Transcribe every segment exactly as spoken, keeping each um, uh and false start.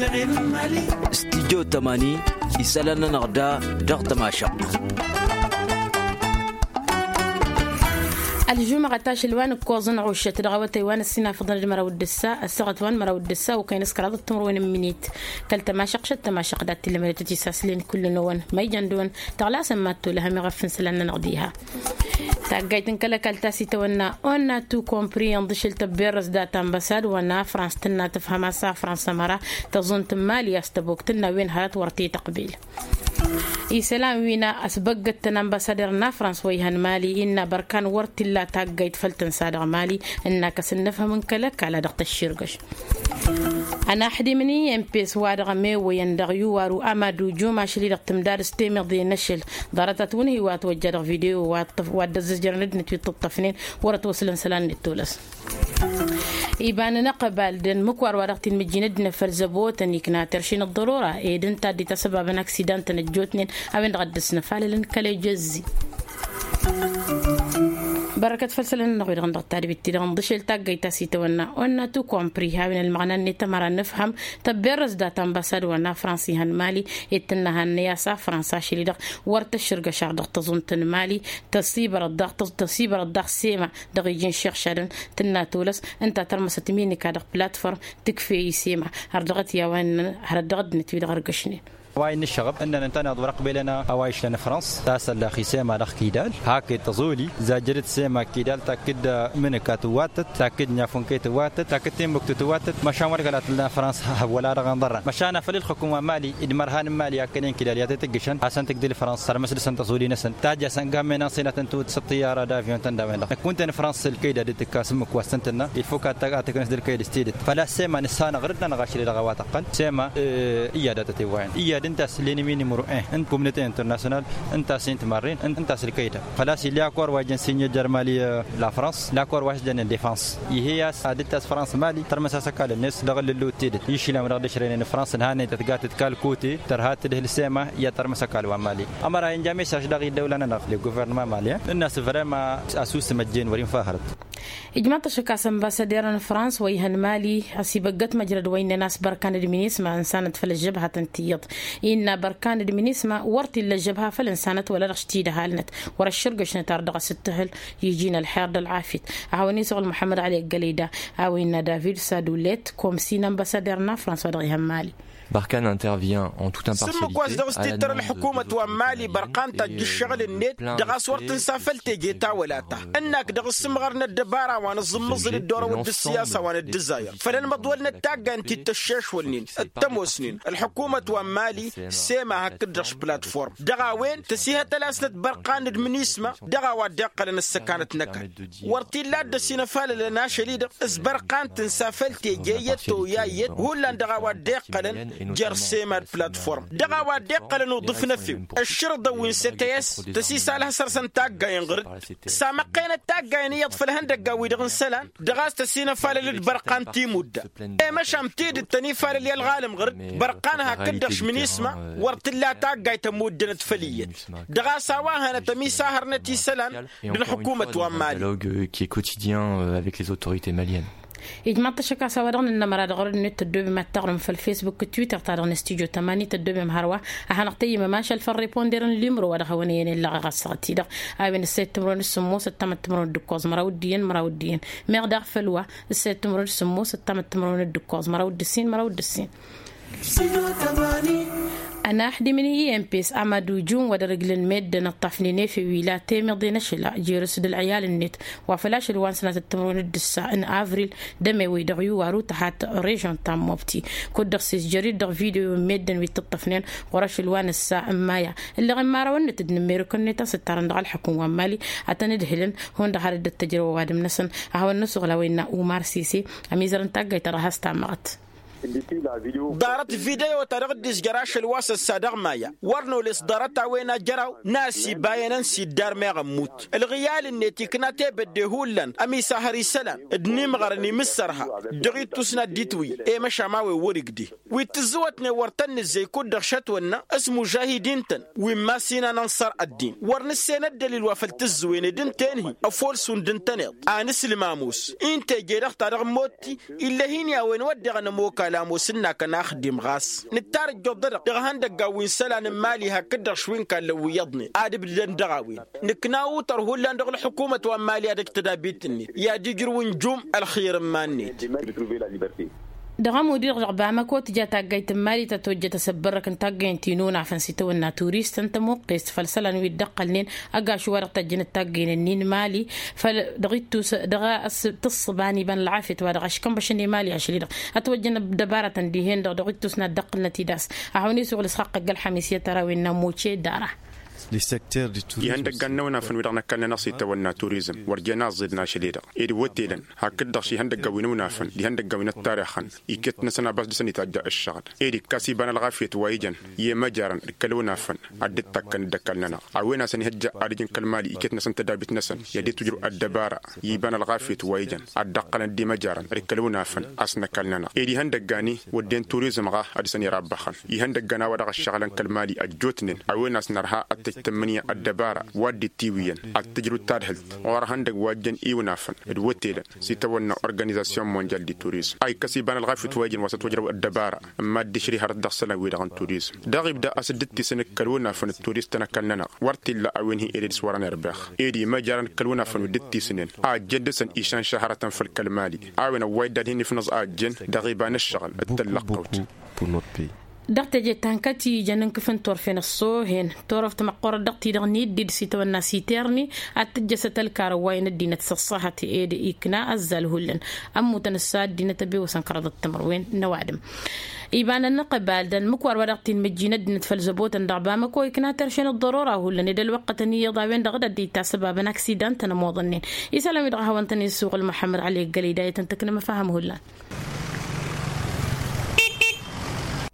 Stijjo tămani isălan-nănăɣ da dăɣ-tămašăɣt. Ălžumăɣăt ašăl wa n-ǝkkoẓăn ɣušăt dăɣ-awătay wa n-ăssinafăḍăn d-măraw d-ǝssa ăssaɣăt wa n-măraw d-ǝssa okăyăn s-kăraḍăt timǝrwen n-minit. Kăl-tămašăɣt šăt tămašăɣt dat-t-illa mălătăt isaslen kull-năwăn ma ijăn dăɣ-wăn taɣlasăn mad-tolăhăm iɣăf n-isălan-nănăɣ diha. Taggayt n-kăl-ăkall ta s-itawănna onna tu compri ănḍǝšǝl tăbberrăs dat-ambăsad wa n-afrans tǝnna tǝfhăm a-s afrans ămăra tăẓunt n-mali a-s tăbok tǝnna wen hărăt wăr t-ităqbil. Isălan wi n-asbăggăttăn ambăsader n-afrans wa ihăn mali innă bărkan wăr t-illa taggayt făll-tǝnsa dăɣ-mali. Ǝnnak a-s ǝnnǝfhǝm n-kăl-ăkall a dăɣ-tăšširgăš. Ănaxdimni mpes wa dăɣ-mewăyăn dăɣ-iwaru amadu jum ašăl-i-dăɣ tǝmdad s-temiḍe n-ašăl ḍarăt-at wǝnhǝy wa ătwăjja dăɣ-video wa dd-ăzzăjărăn ăddinăt wi t-ǝṭṭăfnen wăr-ătwăslăn isălan-net tolăs. Iba n-inăqbal d-ănmǝkwar wa dăɣ-t-inmǝjjin ăddinăt făll-zăbotăn ikna terši n-ăḍḍărora ed ǝnta a dd-itasăbabăn aksidan-tăn ăjjootnen a-wen-dăɣ a dd-ăsnăfalălăn kăl-ejăzzi. Bărkăt făll-isălan-nănăɣ wi-dăɣ n-dăɣ-tadbit-ti-dăɣ ǝnḍǝšel taggăyt ta s-itawănna onna tu compri a-wen ălmăɣna-net ămăra n-ǝfhăm tăbberrăs dat-ambăsad wa n-afrans ihăn mali ed tǝnnăhannăy a-s afrans ašăl-i-dăɣ wăr tăššǝrgăšăɣ dăɣ-tăẓunt n-mali. Tăsibărăt daɣ tăsibărăt daɣ sema dăɣ-iji n-šixšadăn tǝnna tolăs ǝnta tărmăsăt minika dăɣ-platform tǝkfe isema har dăɣ-t i-a-wa innăn hărăt dăɣ-ăddinăt wi-dăɣ ărgăšnen. A-wa innă ǝššăɣăb ǝnnăn ǝnta n-iḍwăr ăqbelăn a-wa išlăn fransa ta săllax isema dăɣ-kidal hakd tăẓoli zajjărăt sema kidal takkǝd mǝnǝka tǝwwatăt takkǝd n-afwǝnkăy tǝwwatăt takkǝd timmǝktu tǝwwatăt măšan wăr găla tǝllan fransa. Wăla-dăɣ ănḍărran măšan a făl ǝlxǝkǝm wa n-mali d-imărhan n-mali akkănen kidal i-ad-t-tǝggǝšăn hasăn-tǝgdǝl fransa tărmăs dăɣ-săn tăẓoli-năsăn tajj a-s ănga ămmen ănsinatăn tǝwǝt s-ăṭṭiyyara d-avyon-tăn d-a-wen-dăɣ năkk wǝnta n-fransa s-ălkăyda dd-tǝkkas ǝmmǝk wa s-tăn-tǝnna ilfuk ad-tăknăs d-ălkăyd s-tidǝt făl-a-s sema nǝssanăɣ-dd-nănăɣ ašăl-i-dăɣ a-wa tăqqăl sema. Iyyăd a tătewwayăn iyyăd ǝnta a-s lenimi număro un n-communăte international ǝnta a-s int-marren ǝnta a-s ălkăyda făl-a-s ill'-i akor wa ijăn sinye jer-mali la fransa l-akor wa s-jănnen defans. Ih'-e a-s ad-dd-tas fransa mali tărmăs-as ăkall-net dăɣ-ǝllǝllu d-tidǝt išilan wa dăɣ-dd-ăšrăynen fransa ǝnhannăy tătgatăt kall-kote tărha tǝdhǝl sema i-ad-tărmăs ăkall wa n-mali. Ămăra inja mesaj dăɣ-iddăwla-nănăɣ le guvernăma malien ǝnn'-as vrema asusǝm ăjjeen wăr-infa hărăt. Ijmaḍ-t ăššăk a-s ănbasăder n-fransa wa ihăn mali ăsibăggăt măjrăd wa innăn a-s bărkan d-minisma ǝnsanăt făll-ăžžăbhatăn tiyyăḍ innă bărkan d-minisma wăr t-illa ăžžăbha făll-ǝnsanăt wăla dăɣ-s tidăhalnăt wăr-ăššărgăšnăt ar dăɣ-s ǝttǝhǝl iji n-ălxer d-ălɣafyăt. A hawăn isuɣǝl muḥămmăd ali ăggălăyda a-wa innă david sadulet komsi n-ănbasăder n-afrans wa dăɣ-ihăn mali. Barkan intervient en toute impartialité s-ǝmmǝk wa s-dăɣ-s tittăr ălḥukumăt wa n-mali bărkan tajj ǝššăɣǝl-net dăɣ-a-s wăr tǝnsa făll-teje ta wăla ta ǝnnak dăɣ-s ǝmɣăr n-ăddăbara wa n-aẓǝmmǝẓǝl d-orăwăd d-ǝssiyasa wa n-ăddǝzzayăr făll-ănmăḍwălnăt taggayen ti t-ăššešwălnen d-tămoosnen ălḥukumăt wa n-mali sema hakd-dăɣ š-platform dăɣ-a-wen tăsihătăl-asnăt bărqan d-mǝnisma dăɣ-a-wa dd-iqqălăn ăssăkanăt n-ăkall. Wăr t-illa a dd-ăsinăfalălăn ašăl-i-dăɣ s-bărqan tǝnsa făll-teje iyyăt toyya iyyăt hullan dăɣ-a-wa dd-iqqălăn jer-sema d-platform dăɣ-a-wa dd-iqqălăn uḍǝf n-efew ăššărǝḍăn wi n-sets tăsisalăh săr-săn taggayen ɣǝr-dd. Samăqqenăt taggayen iyyăḍ făll-ihăndăggan-wi-dăɣ n-isălan dăɣ-a-s tăsinăfalăl d-bărqan timudda. I-măšan tidǝt tăn-ifalăl i-ălɣalăm ɣǝr-dd bărqan hakd-dăɣ š-minisma wăr t-tǝlla taggayt ămmuddănăt făll-iyyăt. Dăɣ-a-s a-wa hănăt ămisahărnăt isălan d-ălḥukumăt wa n-mali. Dialogue qui est quotidien avec les autorités maliennes. Ijmaḍ-t ăššăk a-s a-wa dăɣ-nǝnnămăra dăɣ-ărăd-net tăddobem ad-taɣrǝm făll-facebook d-twitter-ta-dăɣ n-studyo tămani tăddobem hărwa. A hanăɣ-tăyyǝmăm ašăl făll-riponder n-limro wa dăɣ-hawăn-iyyăn illăɣ ɣas săɣ-t-i-dăɣ a-wen ǝssayăt timǝrwen d-sǝmmos ăttamăt timǝrwen d-ǝkkoẓ măraw d-iyyăn măraw d-iyyăn. Meɣ daɣ făll-wa ǝssayăt timǝrwen d-sǝmmos ăttamăt timǝrwen d-ǝkkoẓ măraw d-ǝssin măraw d-ǝssin. Ănaxdimǝn i-empes amădujun wa dăr-ǝglǝn meddǝn ǝṭṭafnen efew ila temiḍe n-ašǝla jer-s d-ălɣiyal-net wa făl ašăl wa n-sănatăt timǝrwen d-ǝssa n-avril d-ămewăy dăɣ-iwaru tăhat režion ta n-mobti. Kud-dăɣ s-izjăr-dd dăɣ-video n-meddǝn wi t-ǝṭṭăfnen ɣur-ašăl wa n-ǝssa n-maya ǝlleɣ imărawăn-net d-inǝmmerǝkăn-net a-s ǝttarăn dăɣ-ălḥukǝm wa n-mali ad-tăn-ǝdhǝlăn hundăɣ har dd-ăttăjrăw ăwadǝm-năsăn. A hawăn-năsuɣǝl a-wa innă umar sise ămizăr n-taggayt ta dăɣ-has-tamăɣăt. Ḍarăt video-ta-dăɣ dd-izjăr ašăl wa s-ăssa dăɣ-maya wăr nole s-ḍarăt a-wen ajăraw n-asibayăn ănsi dd-armeɣ ămmut ălɣiyal-net ikna tebădde hullan ămisahăr isălan d-inimɣărăn imǝssărha dăɣ-ittus n-ad-dd-itwǝy. I-măšan a-wen wăr-igdeh wi t-tǝzzǝwătnen wăr tăn-nǝzzey kud-dăɣ šătwănna s-mužahidin-tăn wi n-masinăn ănṣăr ăddin wăr nǝssen ăddălil wa făl tǝzzǝwen ed ǝnta enhi ăfool šund ǝntăneḍ. Anǝslǝm ămoos i n-teje-dăɣ ta dăɣ-ămmootti ill'-e hin-i a-wen wădden ămook. Ălămos ǝnnakăn axdim ɣas nǝttar ǝjjuḍ-dăɣ dăɣ-ihăndăggan wi n-isălan n-imali hakd-dăɣ šwi n-kallăn wi iyyăḍnen ad-ǝbdǝdăn dăɣ-a-wen. Nǝkna utar hullan dăɣ-ǝlḥǝkumăt wa n-imali ad-ăj tădabit-net i-ad-ijrǝw ǝnjum ălxir n-iman-net. Dăɣ-ămudir-dăɣ bamăko tǝja taggayt n-imali ta tojjăt asăbbărrăk n-taggăyăn ti n-unafăn s-itawănna turistăn tămuqqest făll-isălan wi dd-ăqqălnen. Ăgaš wa dăɣ-tăjjăn d-taggăyăn-nin n-imali făll-dăɣ-ittus dăɣ-a tǝssǝba n-iba n-ălɣafyăt wa dăɣ-aškănbăšăn imali ašli-dăɣ ătwăjjăn ăddăbaratăn dihen-dăɣ dăɣ-ittus n-ad-dd-ăqqǝlnăt idas. Ad-hawăn-isuɣǝl s-xaqqăgg ălxamis i-tărawin n-amuce d-ara. Lăsăkter di turizm. Ihăndăggan n-awănafăn wi-dăɣ n-ăkall-nănăɣ s-itawănna turizm wăr jen aẓẓidăn ašăl-i-dăɣ ed wătelăn hakd-dăɣ šihăndăggan wi n-awănafăn d-ihăndăggan wi n-ăttarixăn. Iket-năsăn a-bas dăr-săn itajja ăššăɣǝl ed ikkas iba n-ălɣafyăt wa ijăn i-imăjarăn d-kăl-awănafăn ad-dd-takkăn d-ăkall-nănăɣ a-wen asăn ihăjja ad-ǝjǝn kăl-mali iket-năsăn tădabit-năsăn i-ad-dd-tujrǝw ăddăbara i-iba n-ălɣafyăt wa ijăn ad-dd-ăqqălăn d-imăjarăn d-kăl-awănafăn a-s n-ăkall-nănăɣ ed ihăndăggan-i wădden turizm ɣa a dăr-săn irabbăxăn ihăndăggan a-wa dăɣ-ăššăɣǝlăn kăl-mali ăjjootnen a-wen a-s nărha ad-tăjj tǝmmǝnǝya ăddăbara wa dd-itiwǝyyăn ad-tǝjrǝw d-tadhǝlt ɣur-ehăndăgg wa ăjjăn iwǝnafăn d-wătelăn s-itawănna organizasyon mondyal di turizm a ikkăs iba n-ălɣafyăt wa ijăn wa s-ătwăjrăw ăddăbara n-mad-dd-išri hărăt dăɣ-isălan-wi-dăɣ n-turizm. Dăɣ-ibda a-s dd-tisǝnǝk kăl-wănafăn d-turistăn ăkall-nănăɣ wăr t-illa a-wen hi-ed d-s-wărăn irbex ed imăjarăn kăl-wănafăn wi dd-tisǝnen a ăjjeen dăr-săn išan šahărătăn făll-kăl-mali. A-wen ăwway dd-ad-hin-ifnǝẓ a ăjjeen dăɣ-iba n-ǝššăɣǝl d-tăllăqqăwt. Dăɣ-teje ta n-kăt-ijăn n-kǝf n-turfen ăṣṣoohen turăft măqqoorăt dăɣ-ti-dăɣ n-iddid s-itawănna s-iterni ad-tǝjjăsăt ălkarăn wa n-ăddinăt s-ăṣṣahăt ed ikna ăzzal hullan. Ămmutăn ǝssa ăddinăt ăbewăsăn kăraḍăt timǝrwen n-ăwadǝm. Iba n-ănnăqbal d-ănmǝkwar wa dăɣ-t-inmǝjjin ăddinăt făll-zăbotăn dăɣ-bamăko ikna tăršen ăḍḍărora hullan ed ălwăqqătăn iyyăḍ a-wen-dăɣ d-ăddinăt ta săbabăn aksida n-tăn ămoḍănnen. Isălan-wi-dăɣ a hawăn-tăn-isuɣǝl muḥămmăd ălekgălida i-tăn-tǝknăm ăfahăm hullan.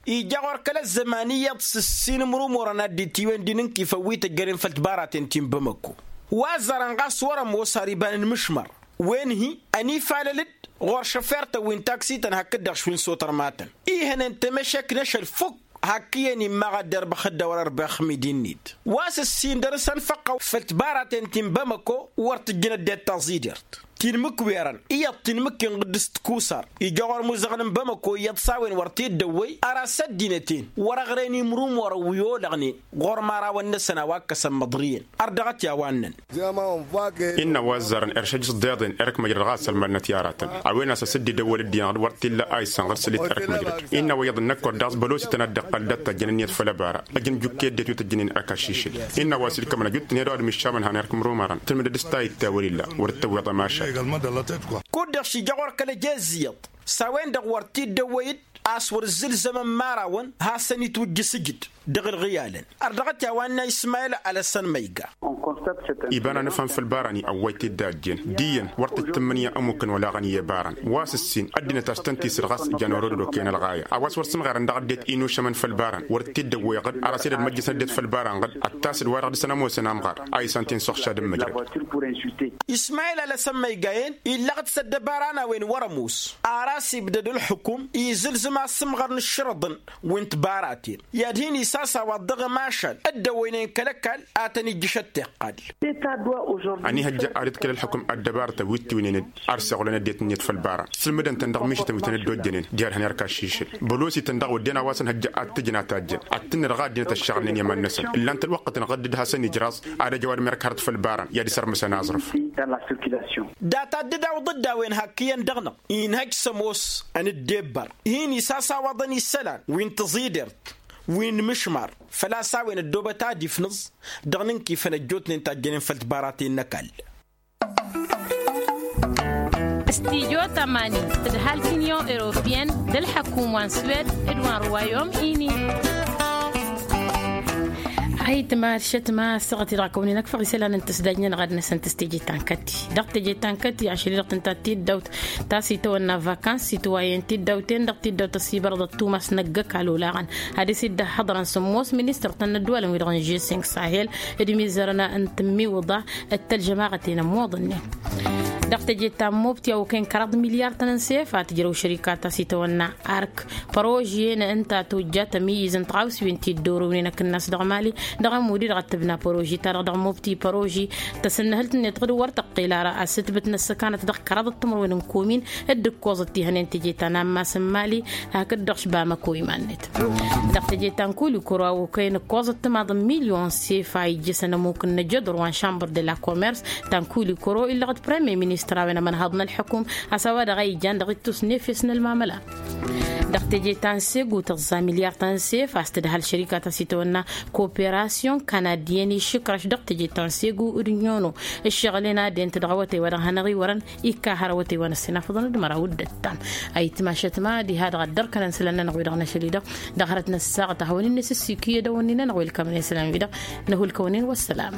Ija ɣur-kăl-ăzzăman iyyăḍ s-ǝssin imrumurăn ad-dd-itiwen d-inǝnkifăn wi tăjjănen făll-tibaraten ti n-bamăko. Wa ăzzarăn ɣas wăr-ămoos har iba n-inmǝšmăr wen-hi ănifalăl-dd ɣur-šăfert-ăwin taksităn hakd-dăɣ šwi n-sotărmatăn. Ihănen temăšek n-ašăl fukk hakk iyyăn immaɣ ad-dd-irbăx dd-ewăr ărbex midi-net wa s-ǝssin dăr-s ănfăqqăw făll-tibaraten ti n-bamăko wăr tǝjjǝnăt d-e-d taẓidert. Tinmǝkwerăn iyyăḍ tinmǝkken ɣǝddǝs d-kusar ija ɣur-imuzăɣăn n-bamăko iyyăḍ s-a-wen wăr t-dd-ăwwăy. Ăras ăddinăt-en wăr-ăɣrăyăn imrumorăn wi olăɣnen ɣur-imărawăn-năsăn a-wa ǝkkăsăn măḍriyăn. Ărdăɣăt i-a-wa ǝnnăn. Innă wa ăzzarăn erš ăjjǝs ḍeḍen erk măjrăd ɣas ălmalnăt i-aratăn a-wen a-s ăsǝddidăwwăl ăddinăɣ wăr t-illa a isănɣăr s-lit erk măjrăd. Innă wa iyyăḍ ǝnnăkkor daɣ s-bălosităn ad-dd-iqqăl d-ad-tajjăn ǝnniyăt făll-ăbara ăj n-ijukki ăddinăt wi tăjjănen erk ašišǝl. Innă wa s-ilkămăn ăjut-tăn i-ad-ăwadǝm iššamăn han erk imrumarăn tǝlmǝdăd s-tayǝtte a wăr-illa wăr t-tăwweḍ ămašal. Kud-dăɣ šija ɣur-kăl-ăjezziyyăḍ s-a-wen-dăɣ wăr t-dd-ăwwăy-dd a-s wăr ǝzzǝlzămăn imărawăn hasăn-itwǝjjǝs ǝjǝd. Dăɣ-ǝlɣǝyalăn ărdăɣăt i-a-wa ǝnna ismayăl alăsăn ma iga. Iba n-anǝfhăm făll-ibarani ăwway-t-dd a ăjjeen d-iyyăn wăr t-ăj tǝmmǝnǝya ămukkăn olaɣăn i-ibarăn wa s-ǝssin ăddinăt a-s tăn-tisǝl ɣas jan orăd ădokăyăn ălɣaya a-wa s-wăr sǝmɣerăn dăɣ-ăddinăt inušămăn făll-ibarăn wăr t-dd-ăwwăy ɣǝd ăras ed ădmăjjăsăn ăddinăt făll-ibarăn ɣǝd ăttas d-wa-dăɣ dăr-săn ămoosăn amɣar a isan-t-in s-uxšad n-măjrăd. Ismayăl alăsăn ma iga-en illăɣ-dd s-ăddăbara n-a-wen wăr-ămoos. Ar a-s ibdăd ǝlxǝkum izǝlzǝm asǝmɣăr n-ǝššărăḍăn wi n-tibaraten i-ad-hin-isasawaḍ dăɣ-ămašal dd-ăwwăynen kăl-ăkall a tăn-ijjǝš ăttiqqal. Ăniihăjja ad-dd-kăl-ǝlxǝkum ăddăbarătăn wi t-iwǝynen d-arseɣulăn ăddinăt-net făll-ibarăn sǝlmǝdăn-tăn dăɣ-mišǝtăn wi tăn-dd-ojjănen d-iyyăḍ han erk ašišǝl. Bălosităn daɣ wădden a-wa s-ănhăjja ad-t-ǝjǝn a tajjăn ad-tǝnnǝdăɣ a ăddinăt ăššăɣǝlnen i-iman-năsăn ǝllan-t ălwăqqăt-năɣ dd-hasăn-ijraẓ ad-ăj ăwadǝm erk hărăt făll-ibarăn i-ad-isărmǝsăn aẓrǝf. Data dd-awǝḍ-dd a-wen hakk iyyăn dăɣ-năɣ inhăj s-ămoos ănǝddebbar hin-isasawaḍăn isălan wi n-tiẓidert wi n-imǝšmar făl-a-s a-wen ăddoobăt ad-ifnǝẓ dăɣ-inǝnkifăn ăjjootnen tajjănen făll-tibaraten n-ăkall. Studyo tămani tǝdhal t-inyon europiyăn d-ălḥăkum wa n-swed d-wa n-ruwayom ini. Ayǝtma d-šătma ăssaɣăt-i-dăɣ a kăwăn-in-ăkfăɣ isălan n-tǝsdajnen ɣad-năsăn tǝs teje ta n-kăti dăɣ-teje ta n-kăti ašăl-i-dăɣ tǝnta tiddawt ta s-itawănna vakans itwayăn tiddawten dăɣ-tiddawt ăsibărăḍăt tumas n-ăgg-ăkall olaɣăn. Ad-dăr-s dd-ăhhăḍrăn sǝmmos ministăr ta n-ădduwalăn-wi-dăɣ n-žeseng sahel d-imizărăn n-tǝmmiwǝḍa d-tălžămaɣăten ămmoḍănnen. Dăɣ-teje ta n-mobti a okăyăn kăraḍ milyar-tăn n-sef a tǝjrăw šărika ta s-itawănna ark părožiyăn ǝnta tojja tămǝyyǝz n-tɣawsiwen ti dd-orăwnen akǝnnas dăɣ-mali dăɣ-ămudi dăɣ-tǝbna păroži-ta-dăɣ dăɣ-mobti păroži tăsǝnnăhǝlt-net ɣǝd wăr tăqqel ara a-s ǝtbǝt n-ăssăkanăt dăɣ-kăraḍăt timărwen n-komin dd-ǝkkoẓăt tihănen teje ta n-ammas n-mali hakd-dăɣ š-bamăko iman-net. Dăɣ-teje ta n-kuli koro a okăyăn ǝkkoẓăt timaḍ n-milyon s-efa ijjăsăn ămuk n-năjăḍur wa n-šambăr de la komers ta n-kuli koro illăɣ-dd premye ministăr a-wen ămănhăḍ n-ălḥăkum a-s a-wa-dăɣ a ijan dăɣ-ittus n-efes n-ălmamăla. Dăɣ-teje ta n-segu tăẓẓa milyar ta n-sef a-s tǝdhal šărika ta s-itawănna koperasyon kanadiyăn išǝkrăš dăɣ-teje ta n-segu d-nyono ǝššăɣǝl-en ad-ent dăɣ-awătay wa dăɣ-hanăɣ-iwărăn ikka hărăwătăy wa n-ăssinafăḍăn d-măraw d-ăttam. Ayǝtma šătma diha dăɣ-ăddărkănăn isălan-nănăɣ wi-dăɣ năšăl-i-dăɣ dăɣ-hărăt n-ăssaɣăt a hawăn-in-nǝsǝssikǝy edăwănnin-nănăɣ welkămăn isălan-wi-dăɣ. Năhulkăwăn-in wăssălam.